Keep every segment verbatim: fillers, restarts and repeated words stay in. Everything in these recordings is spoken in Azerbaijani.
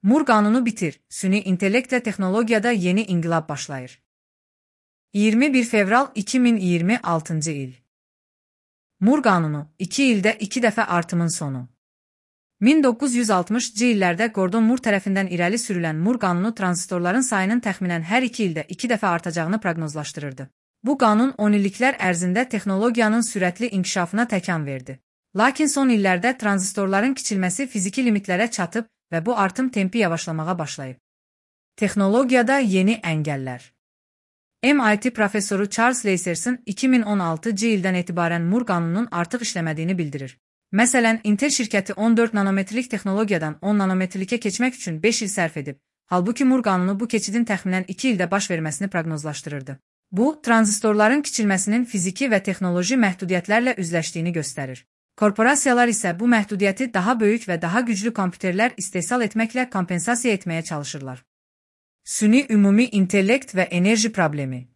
Mur qanunu bitir. Süni intellekt və texnologiyada yeni inqilab başlayır. iyirmi bir fevral iki min iyirmi altıncı il. Mur qanunu, iki ildə iki dəfə artımın sonu. min doqquz yüz altmışıncı illərdə Gordon Mur tərəfindən irəli sürülən Mur qanunu tranzistorların sayının təxminən hər iki ildə iki dəfə artacağını proqnozlaşdırırdı. Bu qanun on illiklər ərzində texnologiyanın sürətli inkişafına təkan verdi. Lakin son illərdə tranzistorların kiçilməsi fiziki limitlərə çatıb və bu artım tempi yavaşlamağa başlayıb. Texnologiyada yeni əngəllər. M I T professoru Charles Laserson iki min on altıncı ildən etibarən Mur qanununun artıq işləmədiyini bildirir. Məsələn, Intel şirkəti on dörd nanometrlik texnologiyadan on nanometrlikə keçmək üçün beş il sərf edib, halbuki Mur qanunu bu keçidin təxminən iki ildə baş verməsini proqnozlaşdırırdı. Bu, tranzistorların kiçilməsinin fiziki və texnoloji məhdudiyyətlərlə üzləşdiyini göstərir. Korporasiyalar isə bu məhdudiyyəti daha böyük və daha güclü kompüterlər istehsal etməklə kompensasiya etməyə çalışırlar. Süni ümumi intellekt və enerji problemi.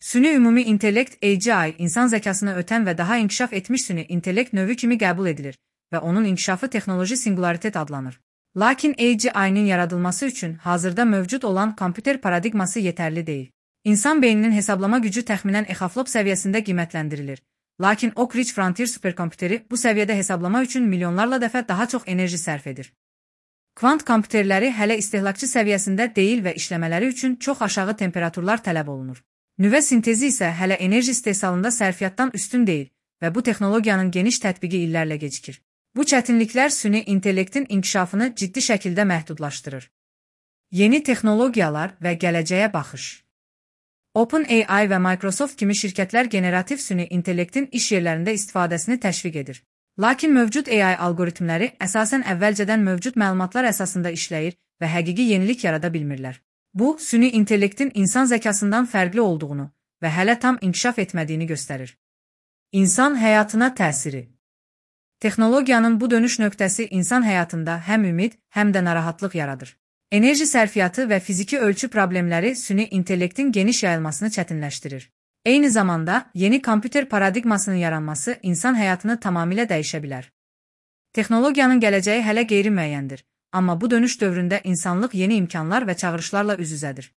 Süni ümumi intellekt A G I, insan zəkasını ötən və daha inkişaf etmiş süni intellekt növü kimi qəbul edilir və onun inkişafı texnoloji singularitet adlanır. Lakin A G I-nin yaradılması üçün hazırda mövcud olan kompüter paradigması yetərli deyil. İnsan beyninin hesablama gücü təxminən exaflop səviyyəsində qiymətləndirilir. Lakin Oak Ridge Frontier superkompüteri bu səviyyədə hesablama üçün milyonlarla dəfə daha çox enerji sərf edir. Kvant kompüterləri hələ istehlakçı səviyyəsində deyil və işləmələri üçün çox aşağı temperaturlar tələb olunur. Nüvə sintezi isə hələ enerji istehsalında sərfiyyatdan üstün deyil və bu texnologiyanın geniş tətbiqi illərlə gecikir. Bu çətinliklər süni intellektin inkişafını ciddi şəkildə məhdudlaşdırır. Yeni texnologiyalar və gələcəyə baxış. OpenAI və Microsoft kimi şirkətlər generativ süni intellektin iş yerlərində istifadəsini təşviq edir. Lakin mövcud A I algoritmləri əsasən əvvəlcədən mövcud məlumatlar əsasında işləyir və həqiqi yenilik yarada bilmirlər. Bu, süni intellektin insan zəkasından fərqli olduğunu və hələ tam inkişaf etmədiyini göstərir. İnsan həyatına təsiri. Texnologiyanın bu dönüş nöqtəsi insan həyatında həm ümid, həm də narahatlıq yaradır. Enerji sərfiyyatı və fiziki ölçü problemləri süni intellektin geniş yayılmasını çətinləşdirir. Eyni zamanda, yeni kompüter paradigmasının yaranması insan həyatını tamamilə dəyişə bilər. Texnologiyanın gələcəyi hələ qeyri-müəyyəndir, amma bu dönüş dövründə insanlıq yeni imkanlar və çağırışlarla üz-üzədir.